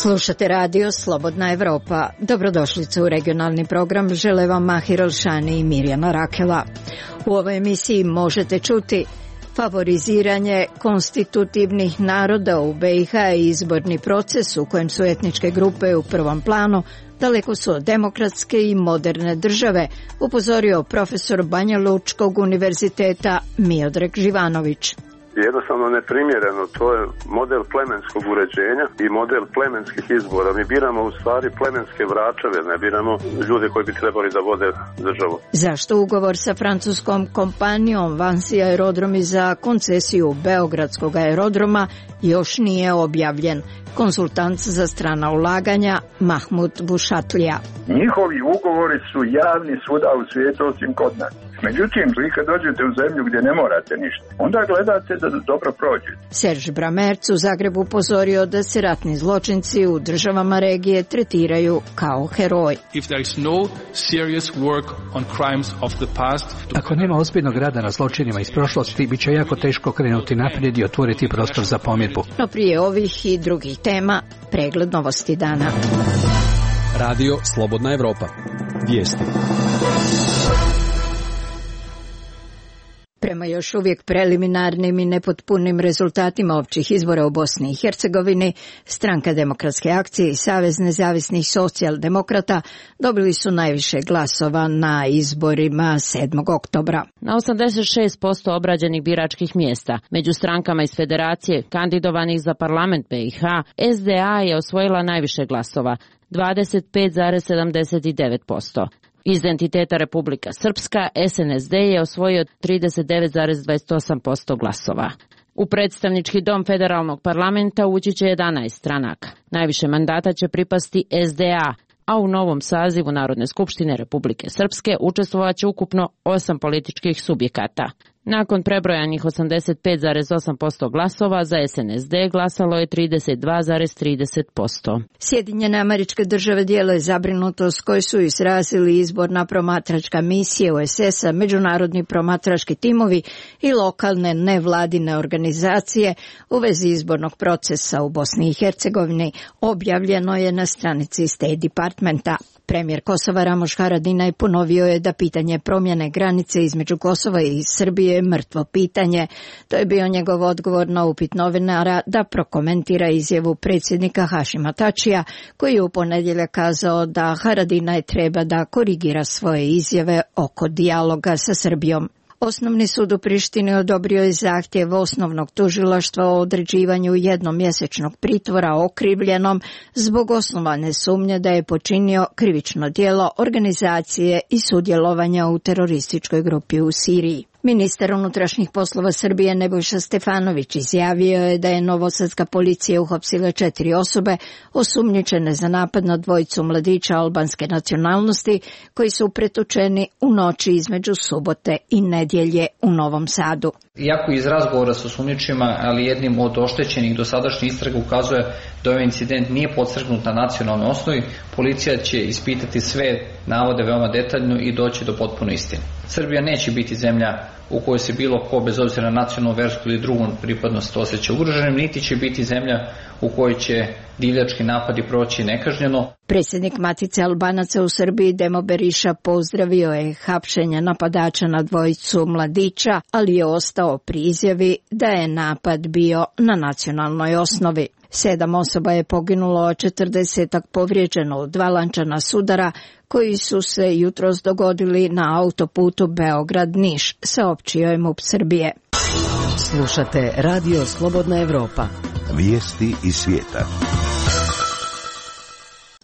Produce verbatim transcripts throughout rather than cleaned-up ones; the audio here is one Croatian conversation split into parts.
Slušate radio Slobodna Evropa. Dobrodošlice u regionalni program. Žele vam Mahir Alšani i Mirjana Rakela. U ovoj emisiji možete čuti favoriziranje konstitutivnih naroda u B i H i izborni proces u kojem su etničke grupe u prvom planu, daleko su od demokratske i moderne države, upozorio profesor Banja Lučkog univerziteta Miodrag Živanović. Jednostavno neprimjereno, to je model plemenskog uređenja i model plemenskih izbora. Mi biramo u stvari plemenske vračeve, ne biramo ljude koji bi trebali da vode državu. Zašto ugovor sa francuskom kompanijom Vansi aerodromi za koncesiju Beogradskog aerodroma još nije objavljen? Konsultant za strana ulaganja Mahmud Bušatlija. Njihovi ugovori su javni svuda u svijetu osim kod nas. Međutim, vi kad dođete u zemlju gdje ne morate ništa, onda gledate da dobro prođete. Serž Bramerc u Zagrebu upozorio da se ratni zločinci u državama regije tretiraju kao heroj. Ako nema ozbiljnog rada na zločinima iz prošlosti, bit će jako teško krenuti naprijed i otvoriti prostor za pomirbu. No prije ovih i drugih tema, pregled novosti dana. Radio Slobodna Evropa. Vijesti. Prema još uvijek preliminarnim i nepotpunim rezultatima općih izbora u Bosni i Hercegovini, Stranka demokratske akcije i Savez nezavisnih socijaldemokrata dobili su najviše glasova na izborima sedmog oktobra. Na osamdeset šest posto obrađenih biračkih mjesta, među strankama iz Federacije kandidovanih za parlament B i H, S D A je osvojila najviše glasova, dvadeset pet zarez sedamdeset devet posto. Iz entiteta Republika Srpska, S N S D je osvojio trideset devet zarez dvadeset osam posto glasova. U predstavnički dom federalnog parlamenta ući će jedanaest stranaka. Najviše mandata će pripasti S D A, a u novom sazivu Narodne skupštine Republike Srpske učestvovat će ukupno osam političkih subjekata. Nakon prebrojanih osamdeset pet zarez osam posto glasova za S N S D glasalo je trideset dva zarez trideset posto. Sjedinjene Američke Države dijele zabrinutost koju su izrazili izborna promatračka misija U S S-a, međunarodni promatrački timovi i lokalne nevladine organizacije u vezi izbornog procesa u Bosni i Hercegovini, objavljeno je na stranici State Departmenta. Premijer Kosova Ramoš Haradinaj ponovio je da pitanje promjene granice između Kosova i Srbije je mrtvo pitanje. To je bio njegov odgovor na upit novinara da prokomentira izjavu predsjednika Hašima Tačija, koji je u ponedjeljak kazao da Haradinaj treba da korigira svoje izjave oko dijaloga sa Srbijom. Osnovni sud u Prištini odobrio je zahtjev osnovnog tužilaštva o određivanju jednomjesečnog pritvora okrivljenom zbog osnovane sumnje da je počinio krivično djelo organizacije i sudjelovanja u terorističkoj grupi u Siriji. Ministar unutrašnjih poslova Srbije Nebojša Stefanović izjavio je da je novosadska policija uhapsila četiri osobe osumnjičene za napad na dvojicu mladića albanske nacionalnosti koji su pretučeni u noći između subote i nedjelje u Novom Sadu. Iako iz razgovora sa osumnjičima, ali jednim od oštećenih dosadašnjih istraga ukazuje da ovaj incident nije podstrgnut na nacionalnoj osnovi, policija će ispitati sve navode veoma detaljno i doći do potpune istine. Srbija neće biti zemlja u kojoj se bilo ko, bez obzira na nacionalnu, versku ili drugu pripadnost, osjeća ugroženim, niti će biti zemlja u kojoj će divljački napadi proći nekažnjeno. Predsjednik Matice Albanaca u Srbiji Demo Beriša pozdravio je hapšenje napadača na dvojicu mladića, ali je ostao pri izjavi da je napad bio na nacionalnoj osnovi. Sedam osoba je poginulo, a četrdesetak povrijeđeno u dva lančana sudara koji su se jutros dogodili na autoputu Beograd-Niš, saopćio je MUP Srbije. Slušate Radio Slobodna Evropa. Vijesti iz svijeta.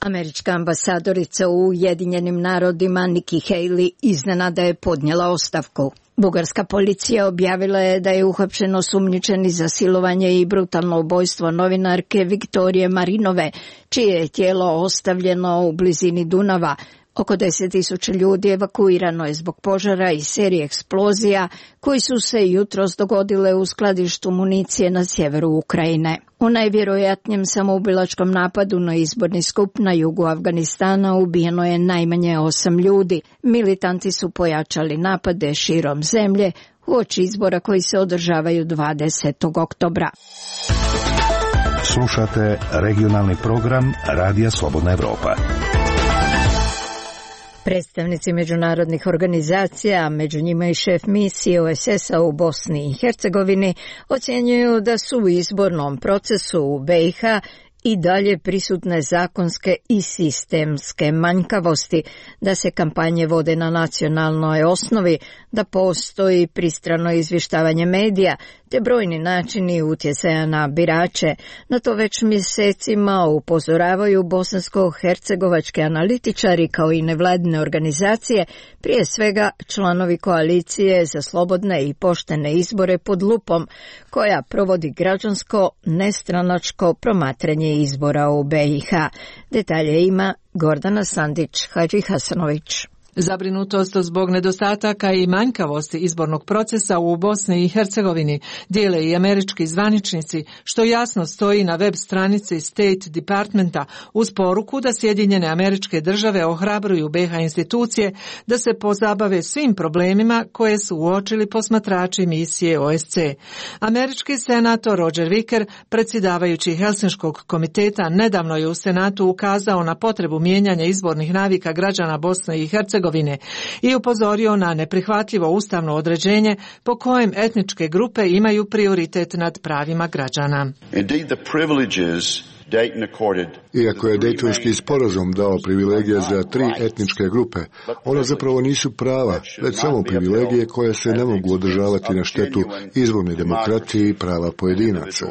Američka ambasadorica u Ujedinjenim narodima Nikki Haley iznenada je podnijela ostavku. Bugarska policija objavila je da je uhapšen osumnjičeni za silovanje i brutalno ubojstvo novinarke Viktorije Marinove, čije je tijelo ostavljeno u blizini Dunava. Oko deset tisuća ljudi evakuirano je zbog požara i serije eksplozija koji su se jutros dogodile u skladištu municije na sjeveru Ukrajine. U najvjerojatnijem samoubilačkom napadu na izborni skup na jugu Afganistana ubijeno je najmanje osam ljudi. Militanti su pojačali napade širom zemlje uoči izbora koji se održavaju dvadesetog oktobra. Slušate regionalni program Radija Slobodna Evropa. Predstavnici međunarodnih organizacija, među njima i šef misije O S S-a u Bosni i Hercegovini, ocjenjuju da su u izbornom procesu u B i H i dalje prisutne zakonske i sistemske manjkavosti, da se kampanje vode na nacionalnoj osnovi, da postoji pristrano izvještavanje medija, te brojni načini utjecaja na birače. Na to već mjesecima upozoravaju bosansko-hercegovački analitičari kao i nevladine organizacije, prije svega članovi koalicije za slobodne i poštene izbore pod lupom, koja provodi građansko nestranačko promatranje izbora u B i H. Detalje ima Gordana Sandić-Hadžihasanović. Zabrinutost zbog nedostataka i manjkavosti izbornog procesa u Bosni i Hercegovini dijele i američki zvaničnici, što jasno stoji na web stranici State Departmenta uz poruku da Sjedinjene Američke Države ohrabruju B i H institucije da se pozabave svim problemima koje su uočili posmatrači misije O S C. Američki senator Roger Wicker, predsjedavajući Helsinškog komiteta, nedavno je u Senatu ukazao na potrebu mijenjanja izbornih navika građana Bosne i Hercegovine i upozorio na neprihvatljivo ustavno određenje po kojem etničke grupe imaju prioritet nad pravima građana. Indeed, the privileges Iako je Dejtonski sporazum dao privilegije za tri etničke grupe, one zapravo nisu prava, već samo privilegije koje se ne mogu održavati na štetu izvorne demokracije i prava pojedinaca.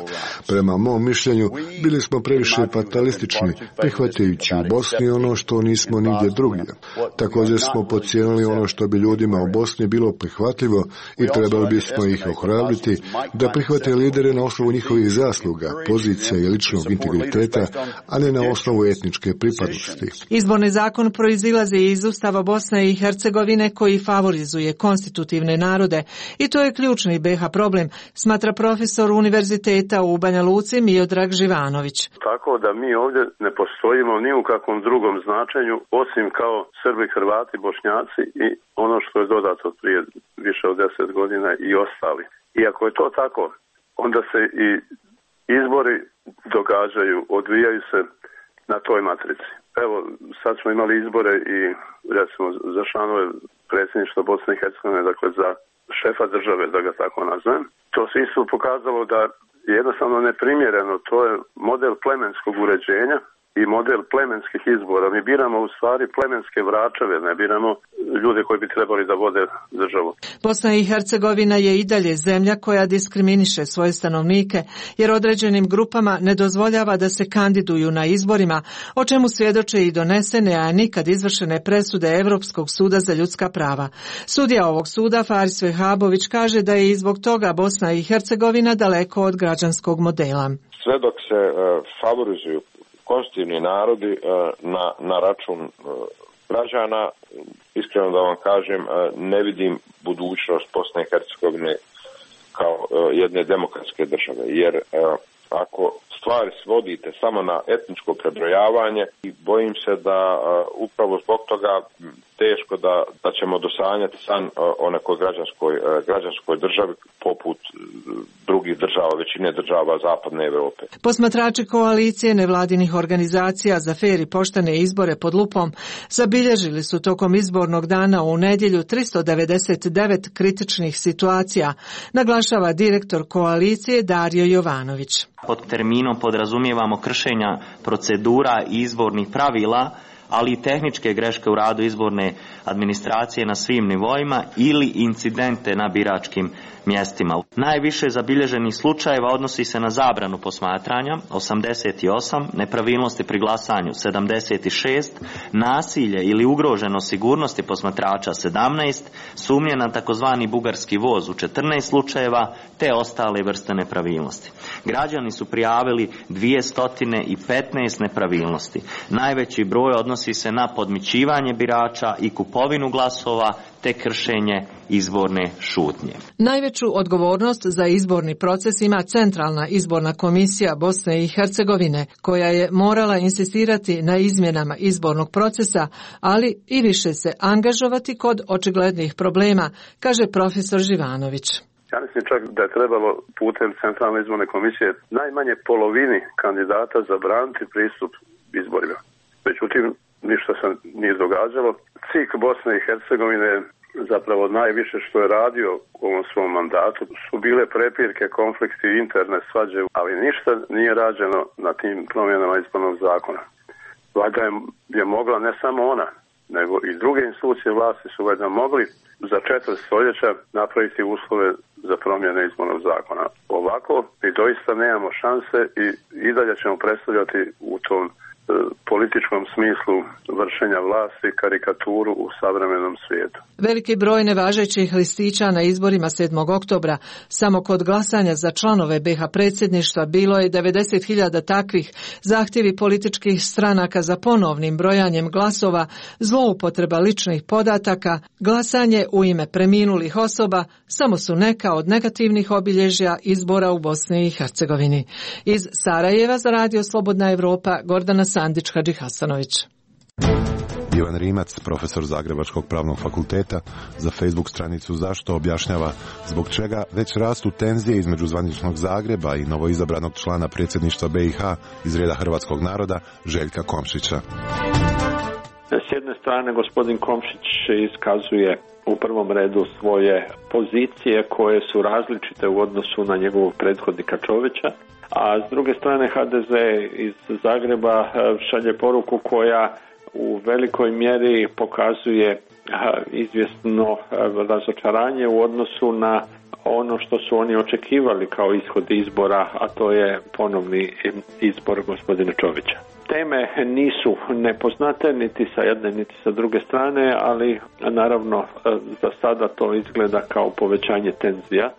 Prema mom mišljenju, bili smo previše fatalistični, prihvatajući u Bosni ono što nismo nigdje drugdje. Također smo podcijenili ono što bi ljudima u Bosni bilo prihvatljivo i trebali bismo ih ohrabriti da prihvate lidere na osnovu njihovih zasluga, pozicija i ličnog integriteta, a ne na osnovu etničke pripadnosti. Izborni zakon proizilazi iz Ustava Bosne i Hercegovine koji favorizuje konstitutivne narode i to je ključni B i H problem, smatra profesor univerziteta u Banja Luci Miodrag Živanović. Tako da mi ovdje ne postojimo ni u kakvom drugom značenju osim kao Srbi, Hrvati, Bošnjaci i ono što je dodato prije više od deset godina i ostali. I ako je to tako, onda se i izbori događaju, odvijaju se na toj matrici. Evo, sad smo imali izbore i recimo za članove predsjedništva Bosne i Hercegovine, dakle za šefa države, da ga tako nazvem. To se isto pokazalo da je jednostavno neprimjereno. To je model plemenskog uređenja i model plemenskih izbora. Mi biramo u stvari plemenske vračeve, ne biramo ljude koji bi trebali da vode državu. Bosna i Hercegovina je i dalje zemlja koja diskriminiše svoje stanovnike, jer određenim grupama ne dozvoljava da se kandiduju na izborima, o čemu svjedoče i donesene, a nikad izvršene presude Europskog suda za ljudska prava. Sudija ovog suda, Faris Vehabović, kaže da je i zbog toga Bosna i Hercegovina daleko od građanskog modela. Sve dok se uh, favorizuju konstitutivni narodi na, na račun građana, iskreno da vam kažem, ne vidim budućnost Bosne i Hercegovine kao jedne demokratske države, jer ako stvari svodite samo na etničko prebrojavanje, i bojim se da upravo zbog toga teško da, da ćemo dosanjati san o nekoj građanskoj, građanskoj državi poput drugih država, većine država Zapadne Europe. Posmatrači koalicije nevladinih organizacija za fer i poštene izbore pod lupom zabilježili su tokom izbornog dana u nedjelju tristo devedeset devet kritičnih situacija, naglašava direktor koalicije Dario Jovanović. Pod terminom podrazumijevamo kršenja procedura i izbornih pravila, ali i tehničke greške u radu izborne administracije na svim nivoima ili incidente na biračkim mjestima. Najviše zabilježenih slučajeva odnosi se na zabranu posmatranja osamdeset osam, nepravilnosti pri glasanju sedamdeset šest, nasilje ili ugroženost sigurnosti posmatrača sedamnaest, sumnje na takozvani bugarski voz u četrnaest slučajeva te ostale vrste nepravilnosti. Građani su prijavili dvjesto petnaest nepravilnosti. Najveći broj odnosi se na podmićivanje birača i kupovinu glasova te kršenje izborne šutnje. Najveću odgovornost za izborni proces ima Centralna izborna komisija Bosne i Hercegovine, koja je morala insistirati na izmjenama izbornog procesa, ali i više se angažovati kod očiglednih problema, kaže profesor Živanović. Ja mislim čak da je trebalo putem Centralne izborne komisije najmanje polovini kandidata zabraniti pristup izborima. Međutim, ništa se nije događalo. C I K Bosne i Hercegovine zapravo najviše što je radio u ovom svom mandatu su bile prepirke, konflikti, interne svađe, ali ništa nije rađeno na tim promjenama izbornog zakona. Valjda je, je mogla ne samo ona, nego i druge institucije vlasti su valjda mogli za četvrt stoljeća napraviti uslove za promjene izbornog zakona. Ovako mi doista nemamo šanse i, i dalje ćemo predstavljati u tom političkom smislu vršenja vlasti karikaturu u savremenom svijetu. Veliki broj nevažećih listića na izborima sedmog oktobra, samo kod glasanja za članove be ha predsjedništva bilo je devedeset hiljada takvih, zahtjevi političkih stranaka za ponovnim brojanjem glasova, zloupotreba ličnih podataka, glasanje u ime preminulih osoba, samo su neka od negativnih obilježja izbora u Bosni i Hercegovini. Iz Sarajeva za Radio Slobodna Evropa, Gordana Sandić Hadžihasanović. Ivan Rimac, profesor Zagrebačkog pravnog fakulteta, za Facebook stranicu Zašto objašnjava zbog čega već rastu tenzije između zvaničnog Zagreba i novoizabranog člana predsjedništva be i ha iz reda hrvatskog naroda, Željka Komšića. S jedne strane gospodin Komšić iskazuje u prvom redu svoje pozicije koje su različite u odnosu na njegovog prethodnika Čovića, a s druge strane ha de ze iz Zagreba šalje poruku koja u velikoj mjeri pokazuje izvjesno razočaranje u odnosu na ono što su oni očekivali kao ishod izbora, a to je ponovni izbor gospodina Čovića. Teme nisu nepoznate niti sa jedne niti sa druge strane, ali naravno za sada to izgleda kao povećanje tenzija,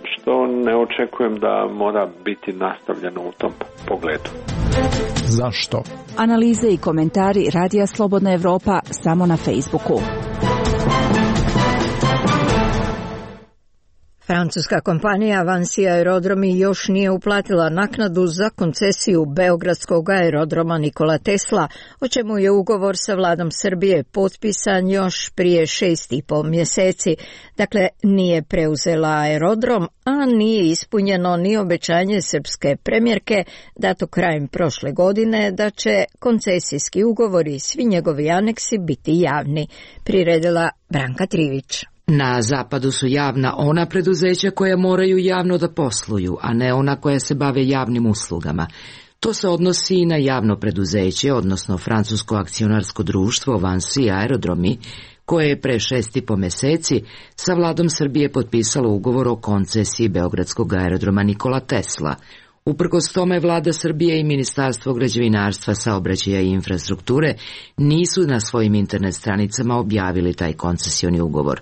što ne očekujem da mora biti nastavljeno u tom pogledu. Zašto? Analize i komentari Radija Slobodna Evropa samo na Facebooku. Francuska kompanija Vinci Aerodromi još nije uplatila naknadu za koncesiju Beogradskog aerodroma Nikola Tesla, o čemu je ugovor sa vladom Srbije potpisan još prije šest i pol mjeseci. Dakle, nije preuzela aerodrom, a nije ispunjeno ni obećanje srpske premijerke dato krajem prošle godine da će koncesijski ugovori i svi njegovi aneksi biti javni, priredila Branka Trivić. Na zapadu su javna ona preduzeća koja moraju javno da posluju, a ne ona koja se bave javnim uslugama. To se odnosi i na javno preduzeće, odnosno francusko akcionarsko društvo Vinci Aerodromi, koje je pre šest i po meseci sa vladom Srbije potpisalo ugovor o koncesiji Beogradskog aerodroma Nikola Tesla. Uprkos tome vlada Srbije i Ministarstvo građevinarstva, saobraćaja i infrastrukture nisu na svojim internet stranicama objavili taj koncesioni ugovor.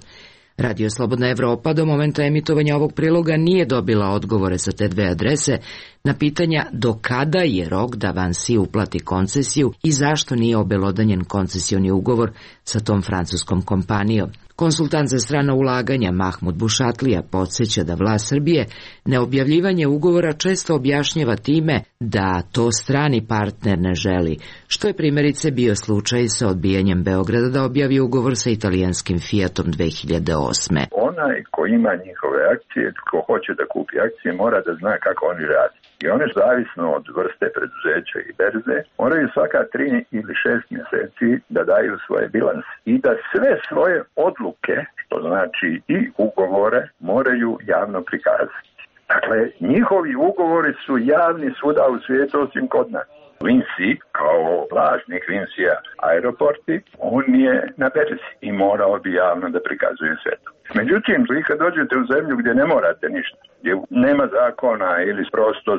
Radio Slobodna Evropa do momenta emitovanja ovog priloga nije dobila odgovore sa te dve adrese na pitanja do kada je rok da Vinci uplati koncesiju i zašto nije obelodanjen koncesioni ugovor sa tom francuskom kompanijom. Konsultant za strana ulaganja Mahmud Bušatlija podsjeća da vlast Srbije neobjavljivanje ugovora često objašnjava time da to strani partner ne želi, što je primjerice bio slučaj sa odbijanjem Beograda da objavi ugovor sa italijanskim Fiatom dve hiljade osme. Onaj ko ima njihove akcije, ko hoće da kupi akcije, mora da zna kako oni radi. I one, zavisno od vrste preduzeća i berze, moraju svaka tri ili šest mjeseci da daju svoje bilanse i da sve svoje odluke, što znači i ugovore, moraju javno prikazati. Dakle, njihovi ugovori su javni svuda u svijetu osim kod nas. Vinci, kao vlasnik Vincia Aeroporti, on je na berzi i morao bi javno da prikazuje sve to. Međutim, vi kad dođete u zemlju gdje ne morate ništa, gdje nema zakona ili prosto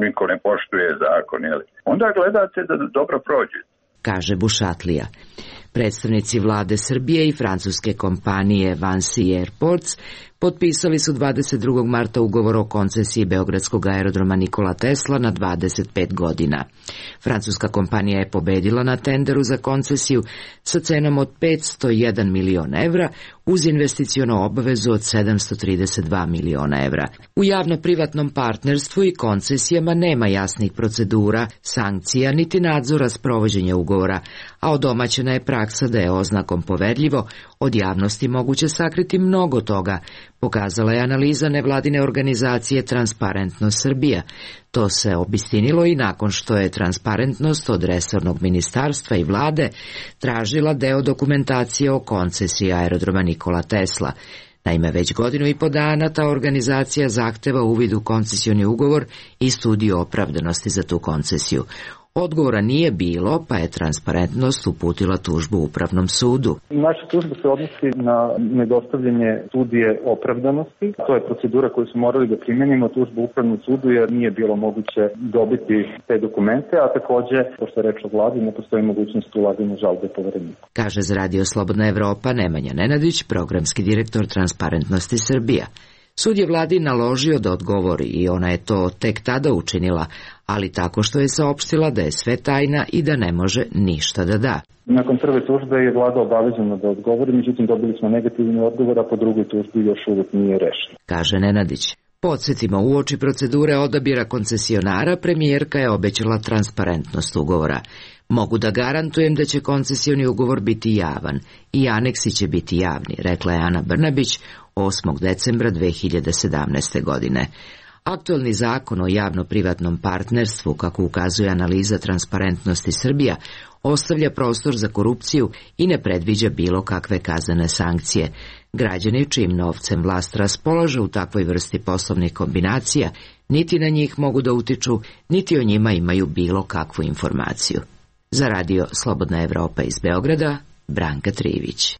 niko ne poštuje zakon, ili, onda gledate da dobro prođe. Kaže Bušatlija. Predstavnici vlade Srbije i francuske kompanije Vinci Airports potpisali su dvadeset drugog marta ugovor o koncesiji Beogradskog aerodroma Nikola Tesla na dvadeset pet godina. Francuska kompanija je pobedila na tenderu za koncesiju sa cenom od petsto jedan miliona evra uz investiciono obavezu od sedamsto trideset dva miliona evra. U javno-privatnom partnerstvu i koncesijama nema jasnih procedura, sankcija niti nadzora sprovođenja ugovora, a odomaćena je praksa da je oznakom poverljivo Od javnosti moguće sakriti mnogo toga, pokazala je analiza nevladine organizacije Transparentnost Srbija. To se obistinilo i nakon što je Transparentnost od resornog ministarstva i vlade tražila deo dokumentacije o koncesiji aerodroma Nikola Tesla. Naime, već godinu i po dana ta organizacija zahteva uvid u koncesioni ugovor i studiju opravdanosti za tu koncesiju. Odgovora nije bilo, pa je Transparentnost uputila tužbu Upravnom sudu. Naša tužba se odnosi na nedostavljanje studije opravdanosti. To je procedura koju smo morali da primenimo tužbu Upravnom sudu jer nije bilo moguće dobiti te dokumente, a takođe, pošto je reč o vladi, ne postoji mogućnost ulaganja žalbe povereniku. Kaže za Radio Slobodna Evropa Nemanja Nenadić, programski direktor Transparentnosti Srbija. Sud je vladi naložio da odgovori i ona je to tek tada učinila, ali tako što je saopštila da je sve tajna i da ne može ništa da da. Nakon prve tužbe je vlada obavezana da odgovori, međutim dobili smo negativni odgovor, a po drugoj tužbi još uvek nije rešeno. Kaže Nenadić. Podsjetimo, uoči procedure odabira koncesionara, premijerka je obećala transparentnost ugovora. Mogu da garantujem da će koncesioni ugovor biti javan i aneksi će biti javni, rekla je Ana Brnabić osmog decembra dve hiljade sedamnaeste. godine. Aktuelni zakon o javno-privatnom partnerstvu, kako ukazuje analiza Transparentnosti Srbija, ostavlja prostor za korupciju i ne predviđa bilo kakve kaznene sankcije. Građani čijim novcem vlast raspolaže u takvoj vrsti poslovnih kombinacija, niti na njih mogu da utiču, niti o njima imaju bilo kakvu informaciju. Za Radio Slobodna Evropa iz Beograda, Branka Trivić.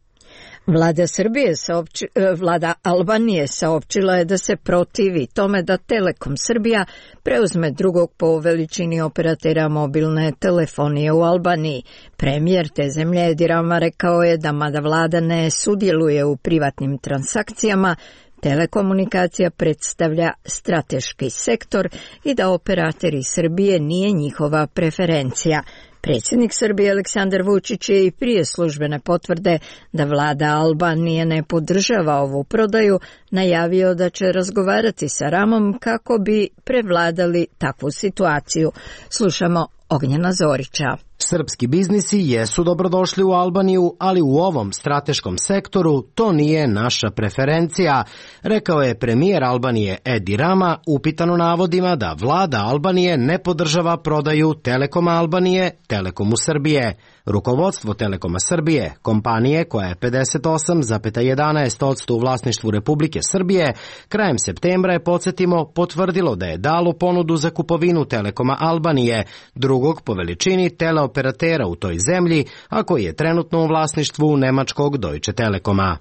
Vlada Srbije saopći, vlada Albanije saopćila je da se protivi tome da Telekom Srbija preuzme drugog po veličini operatera mobilne telefonije u Albaniji. Premijer te zemlje Edi Rama rekao je da mada vlada ne sudjeluje u privatnim transakcijama, telekomunikacija predstavlja strateški sektor i da operatori Srbije nije njihova preferencija. Predsjednik Srbije Aleksandar Vučić je i prije službene potvrde da vlada Albanije ne podržava ovu prodaju najavio da će razgovarati sa Ramom kako bi prevladali takvu situaciju. Slušamo Ognjena Zorića. Srpski biznisi jesu dobrodošli u Albaniju, ali u ovom strateškom sektoru to nije naša preferencija, rekao je premijer Albanije Edi Rama, upitan o navodima da vlada Albanije ne podržava prodaju Telekoma Albanije Telekomu Srbije. Rukovodstvo Telekoma Srbije, kompanije koja je pedeset osam zarez jedanaest posto u vlasništvu Republike Srbije, krajem septembra je, podsjetimo, potvrdilo da je dalo ponudu za kupovinu Telekoma Albanije, drugog po veličini teleoperatera u toj zemlji, a koji je trenutno u vlasništvu nemačkog Deutsche Telekoma.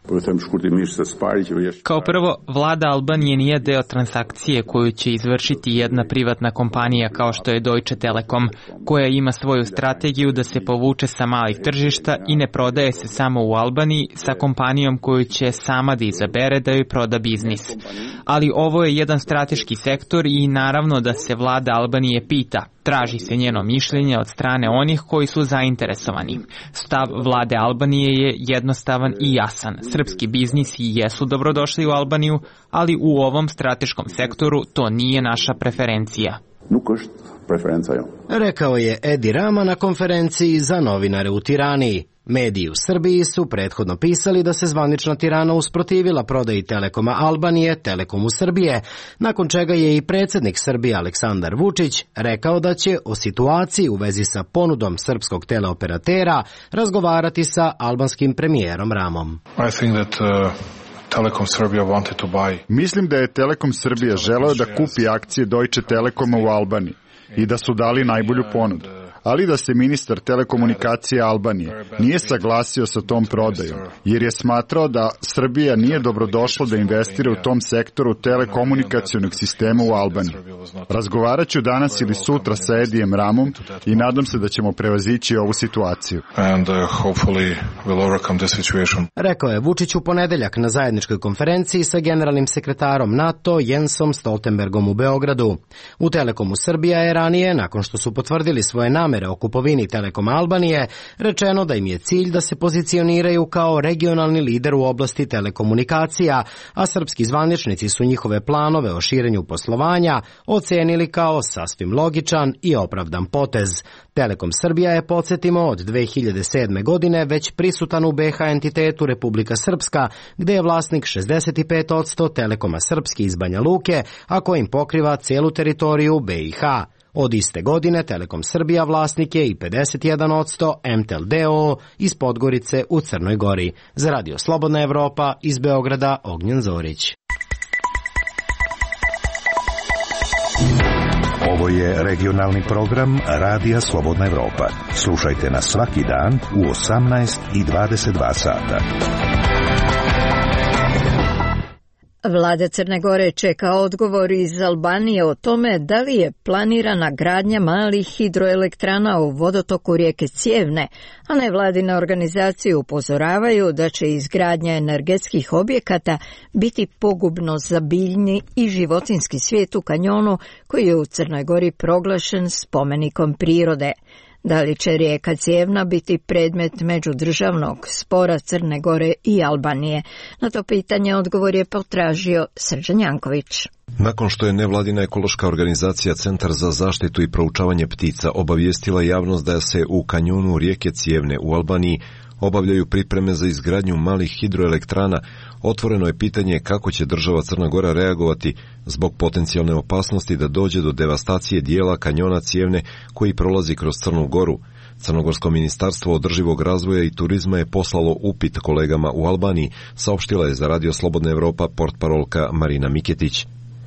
Kao prvo, vlada Albanije nije deo transakcije koju će izvršiti jedna privatna kompanija kao što je Deutsche Telekom, koja ima svoju strategiju da se povuče sa malih tržišta i ne prodaje se samo u Albaniji sa kompanijom koju će sama da izabere da joj proda biznis. Ali ovo je jedan strateški sektor i naravno da se vlada Albanije pita, traži se njeno mišljenje od strane onih koji su zainteresovani. Stav vlade Albanije je jednostavan i jasan. Srpski biznisi jesu dobrodošli u Albaniju, ali u ovom strateškom sektoru to nije naša preferencija. Rekao je Edi Rama na konferenciji za novinare u Tirani. Mediji u Srbiji su prethodno pisali da se zvanična Tirana usprotivila prodaji Telekoma Albanije Telekomu Srbije, nakon čega je i predsjednik Srbije Aleksandar Vučić rekao da će o situaciji u vezi sa ponudom srpskog teleoperatera razgovarati sa albanskim premijerom Ramom. I think that, uh... Telekom Srbija wanted to buy. Mislim da je Telekom Srbija želeo da kupi akcije Deutsche Telekoma u Albaniji i da su dali najbolju ponudu, ali da se ministar telekomunikacije Albanije nije saglasio sa tom prodajom, jer je smatrao da Srbija nije dobrodošla da investira u tom sektoru telekomunikacionog sistema u Albaniji. Razgovarat ću danas ili sutra sa Edijem Ramom i nadam se da ćemo prevazići ovu situaciju. And, uh, hopefully we'll overcome this situation. Rekao je Vučić u ponedeljak na zajedničkoj konferenciji sa generalnim sekretarom NATO Jensom Stoltenbergom u Beogradu. U Telekomu Srbija je ranije, nakon što su potvrdili svoje namere namere o kupovini Telekom Albanije, rečeno da im je cilj da se pozicioniraju kao regionalni lider u oblasti telekomunikacija, a srpski zvaničnici su njihove planove o širenju poslovanja ocenili kao sasvim logičan i opravdan potez. Telekom Srbija je, podsjetimo, od dve hiljade sedme. godine već prisutan u be ha entitetu Republika Srpska, gde je vlasnik šezdeset pet posto Telekoma Srpski iz Banja Luke, a kojim pokriva celu teritoriju be i ha. Od iste godine Telekom Srbija vlasnik je i pedeset jedan posto em te el d o o iz Podgorice u Crnoj Gori. Za Radio Slobodna Evropa iz Beograda Ognjen Zorić. Ovo je regionalni program Radija Slobodna Evropa. Slušajte nas svaki dan u osamnaest i dvadeset dva sata. Vlada Crne Gore čeka odgovor iz Albanije o tome da li je planirana gradnja malih hidroelektrana u vodotoku rijeke Cijevne, a nevladine organizacije upozoravaju da će izgradnja energetskih objekata biti pogubno za biljni i životinski svijet u kanjonu koji je u Crnoj Gori proglašen spomenikom prirode. Da li će rijeka Cijevna biti predmet međudržavnog spora Crne Gore i Albanije? Na to pitanje odgovor je potražio Srđan Janković. Nakon što je nevladina ekološka organizacija Centar za zaštitu i proučavanje ptica obavijestila javnost da se u kanjonu rijeke Cijevne u Albaniji obavljaju pripreme za izgradnju malih hidroelektrana, otvoreno je pitanje kako će država Crna Gora reagovati zbog potencijalne opasnosti da dođe do devastacije dijela kanjona Cijevne koji prolazi kroz Crnu Goru. Crnogorsko ministarstvo održivog razvoja i turizma je poslalo upit kolegama u Albaniji, saopštila je za Radio Slobodna Evropa portparolka Marina Miketić.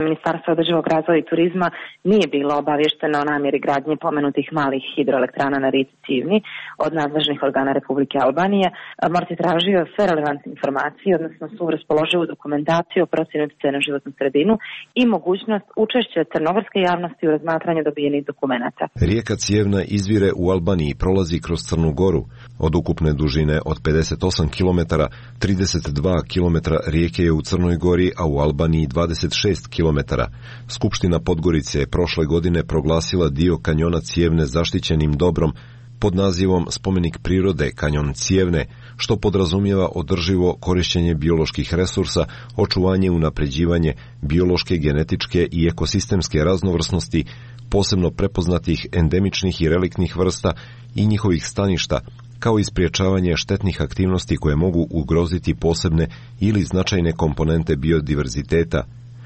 Ministarstvo održivog razvoja i turizma nije bilo obavješteno o namjeri gradnje pomenutih malih hidroelektrana na rijeci Cijevni od nadležnih organa Republike Albanije. MORH je tražio sve relevantne informacije, odnosno svu raspoloživu dokumentaciju o procjeni utjecaja na životnu sredinu i mogućnost učešća crnogorske javnosti u razmatranju dobijenih dokumenata. Rijeka Cijevna izvire u Albaniji i prolazi kroz Crnu Goru. Od ukupne dužine od pedeset osam kilometara, trideset dva kilometra rijeke je u Crnoj Gori, a u Albaniji dvadeset šest kilometara. Skupština Podgorice je prošle godine proglasila dio kanjona Cijevne zaštićenim dobrom pod nazivom Spomenik prirode kanjon Cijevne, što podrazumijeva održivo korištenje bioloških resursa, očuvanje i unapređivanje biološke, genetičke i ekosistemske raznovrsnosti, posebno prepoznatih endemičnih i reliktnih vrsta i njihovih staništa, kao i spriječavanje štetnih aktivnosti koje mogu ugroziti posebne ili značajne komponente biodiverziteta.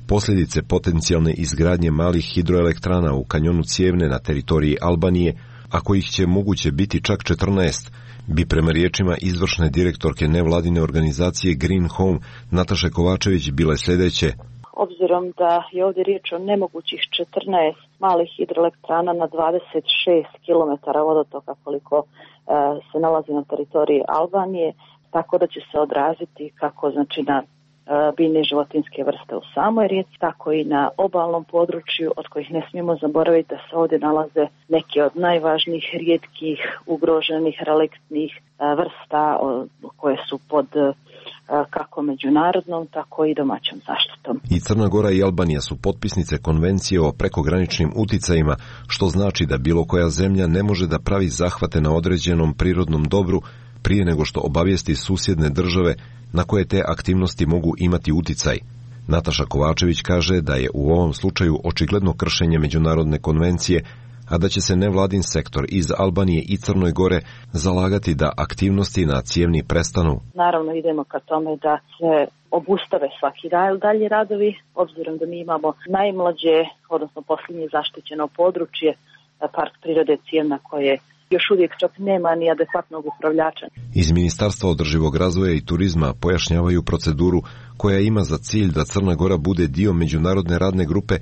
Posljedice potencijalne izgradnje malih hidroelektrana u kanjonu Cijevne na teritoriji Albanije, a kojih će moguće biti čak četrnaest, bi prema riječima izvršne direktorke nevladine organizacije Green Home Nataše Kovačević bile sljedeće. Obzirom da je ovdje riječ o nemogućih četrnaest malih hidroelektrana na dvadeset šest kilometara vodotoka koliko e, se nalazi na teritoriji Albanije, tako da će se odraziti kako znači na biljne i životinske vrste u samoj rijeci, tako i na obalnom području, od kojih ne smijemo zaboraviti da se ovdje nalaze neke od najvažnijih, rijetkih, ugroženih, reliktnih vrsta koje su pod kako međunarodnom, tako i domaćom zaštitom. I Crna Gora i Albanija su potpisnice konvencije o prekograničnim uticajima, što znači da bilo koja zemlja ne može da pravi zahvate na određenom prirodnom dobru prije nego što obavijesti susjedne države na koje te aktivnosti mogu imati uticaj. Nataša Kovačević kaže da je u ovom slučaju očigledno kršenje međunarodne konvencije, a da će se nevladin sektor iz Albanije i Crnoj Gore zalagati da aktivnosti na Cijevni prestanu. Naravno idemo ka tome da se obustave svaki dalje radovi, obzirom da mi imamo najmlađe, odnosno posljednje zaštićeno područje, park prirode Cijevna, koje još uvijek čak nema ni adekvatnog upravljača. Iz Ministarstva održivog razvoja i turizma pojašnjavaju proceduru koja ima za cilj da Crna Gora bude dio međunarodne radne grupe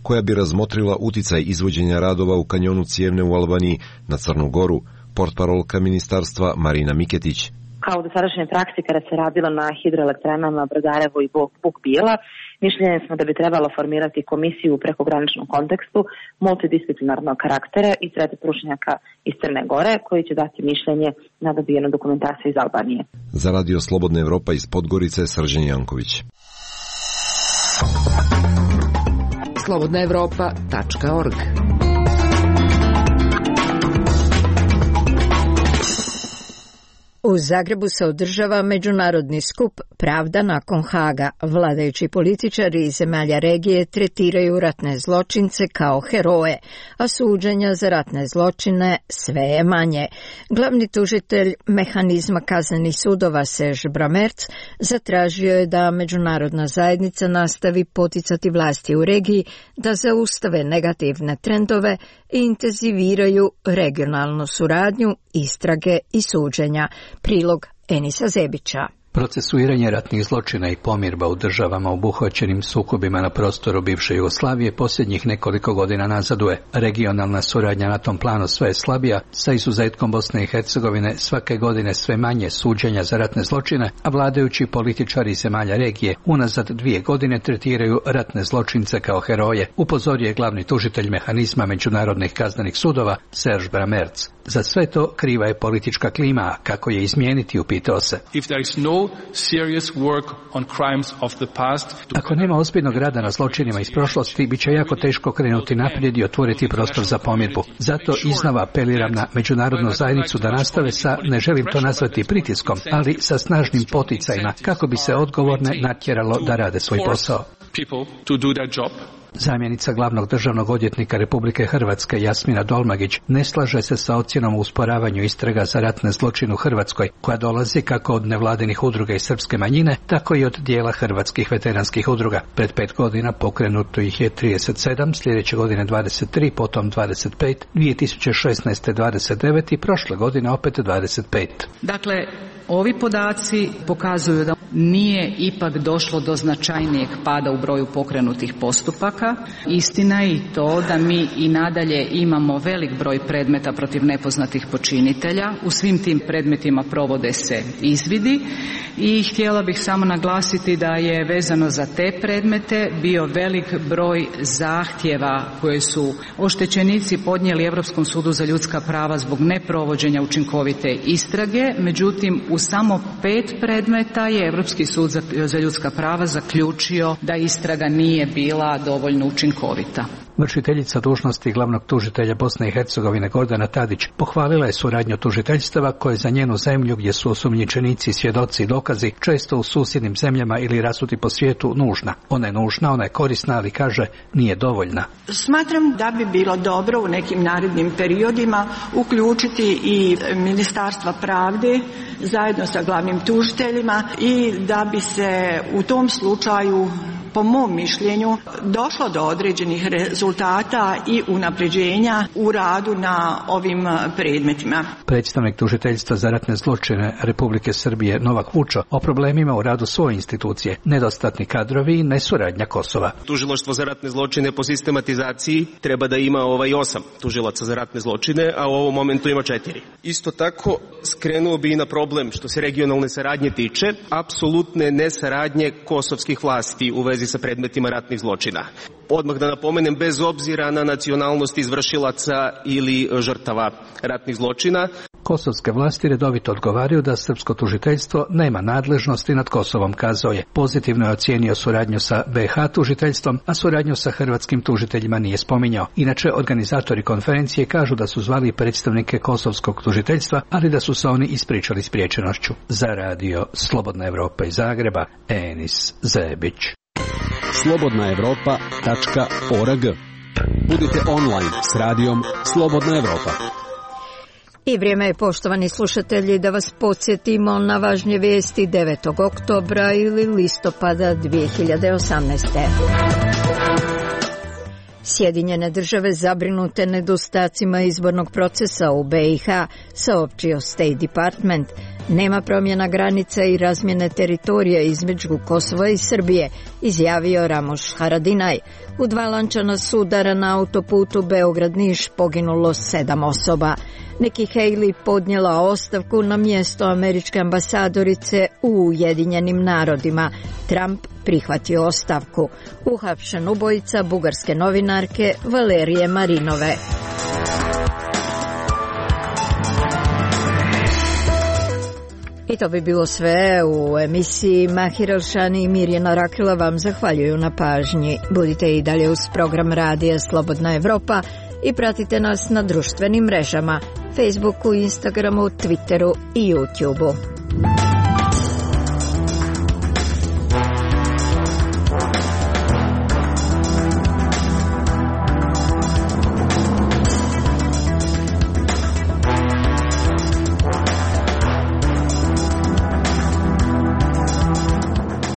koja bi razmotrila uticaj izvođenja radova u kanjonu Cijevne u Albaniji na Crnu Goru, portparolka ministarstva Marina Miketić. Kao u dosadašnjoj praksi kada se radilo na hidroelektranama Brodarevo i Buk Bijela, mišljenje smo da bi trebalo formirati komisiju u prekograničnom kontekstu multidisciplinarnog karaktera i sred stručnjaka iz Crne Gore koji će dati mišljenje na dobijenu dokumentaciju iz Albanije. Za Radio Slobodna Evropa iz Podgorice, Srđan Janković. slobodna evropa tačka org U Zagrebu se održava međunarodni skup Pravda nakon Haga. Vladajući političari iz zemalja regije tretiraju ratne zločince kao heroje, a suđenja za ratne zločine sve je manje. Glavni tužitelj mehanizma kaznenih sudova Serge Bramertz zatražio je da međunarodna zajednica nastavi poticati vlasti u regiji da zaustave negativne trendove i intenziviraju regionalnu suradnju, istrage i suđenja. Prilog Enisa Zebića. Procesuiranje ratnih zločina i pomirba u državama obuhvaćenim sukobima na prostoru bivše Jugoslavije posljednjih nekoliko godina nazaduje. Regionalna suradnja na tom planu sve je slabija, sa izuzetkom Bosne i Hercegovine svake godine sve manje suđenja za ratne zločine, a vladajući političari zemalja regije unazad dvije godine tretiraju ratne zločince kao heroje, upozorio je glavni tužitelj mehanizma međunarodnih kaznenih sudova Serge Bramertz. Za sve to kriva je politička klima, a kako je izmijeniti, upitao se. If there is no serious work on crimes of the past, Ako nema ozbiljnog rada na zločinima iz prošlosti, bit će jako teško krenuti naprijed i otvoriti prostor za pomirbu. Zato iznova apeliram na međunarodnu zajednicu da nastave sa, ne želim to nazvati pritiskom, ali sa snažnim poticajima kako bi se odgovorne natjeralo da rade svoj posao. Zamjenica glavnog državnog odvjetnika Republike Hrvatske Jasmina Dolmagić ne slaže se sa ocjenom o usporavanju istraga za ratne zločine u Hrvatskoj, koja dolazi kako od nevladinih udruga i srpske manjine, tako i od dijela hrvatskih veteranskih udruga. Pred pet godina pokrenuto ih je trideset sedam, sljedeće godine dvadeset tri, potom dvadeset pet, dvije tisuće šesnaeste dvadeset devet i prošle godine opet dvadeset pet. Dakle, ovi podaci pokazuju da nije ipak došlo do značajnijeg pada u broju pokrenutih postupaka. Istina je i to da mi i nadalje imamo velik broj predmeta protiv nepoznatih počinitelja. U svim tim predmetima provode se izvidi i htjela bih samo naglasiti da je vezano za te predmete bio velik broj zahtjeva koje su oštećenici podnijeli Europskom sudu za ljudska prava zbog neprovođenja učinkovite istrage. Međutim, u samo pet predmeta je Europski sud za ljudska prava zaključio da istraga nije bila dovoljno učinkovita. Vršiteljica dužnosti glavnog tužitelja Bosne i Hercegovine Gordana Tadić pohvalila je suradnju tužiteljstava koje za njenu zemlju, gdje su osumnjičenici, svjedoci i dokazi često u susjednim zemljama ili rasuti po svijetu, nužna. Ona je nužna, ona je korisna, ali kaže nije dovoljna. Smatram da bi bilo dobro u nekim narednim periodima uključiti i Ministarstva pravde zajedno sa glavnim tužiteljima i da bi se u tom slučaju, po mom mišljenju, došlo do određenih rezultata i unapređenja u radu na ovim predmetima. Predstavnik tužiteljstva za ratne zločine Republike Srbije Novak Vučo o problemima u radu svoje institucije, nedostatni kadrovi i nesuradnja Kosova. Tužilaštvo za ratne zločine po sistematizaciji treba da ima ovaj osam tužilaca za ratne zločine, a u ovom momentu ima četiri. Isto tako skrenuo bi i na problem što se regionalne saradnje tiče, apsolutne nesaradnje kosovskih vlasti u vezi sa predmetima ratnih zločina. Odmah da napomenem, bez obzira na nacionalnost izvršilaca ili žrtava ratnih zločina. Kosovske vlasti redovito odgovaraju da srpsko tužiteljstvo nema nadležnosti nad Kosovom, kazao je. Pozitivno je ocijenio suradnju sa be ha tužiteljstvom, a suradnju sa hrvatskim tužiteljima nije spominjao. Inače, organizatori konferencije kažu da su zvali predstavnike kosovskog tužiteljstva, ali da su se oni ispričali spriječenošću. Za radio Slobodna Evropa iz Zagreba, Enis Zebić. slobodna evropa tačka org. Budite online s radijom Slobodna Evropa. I vrijeme je, poštovani slušatelji, da vas podsjetimo na važnje vijesti devetog oktobra ili listopada dvije hiljade osamnaeste. Sjedinjene države zabrinute nedostacima izbornog procesa u be i ha, saopćio State Department. Nema promjena granica i razmjene teritorija između Kosova i Srbije, izjavio Ramoš Haradinaj. U dva lančana sudara na autoputu Beograd-Niš poginulo sedam osoba. Nikki Haley podnijela ostavku na mjesto američke ambasadorice u Ujedinjenim narodima. Trump prihvatio ostavku. Uhapšen ubojica bugarske novinarke Valerije Marinove. I to bi bilo sve u emisiji. Mahir Elšani i Mirjana Rakila vam zahvaljuju na pažnji. Budite i dalje uz program radija Slobodna Evropa i pratite nas na društvenim mrežama. Facebooku, Instagramu, Twitteru i YouTubeu.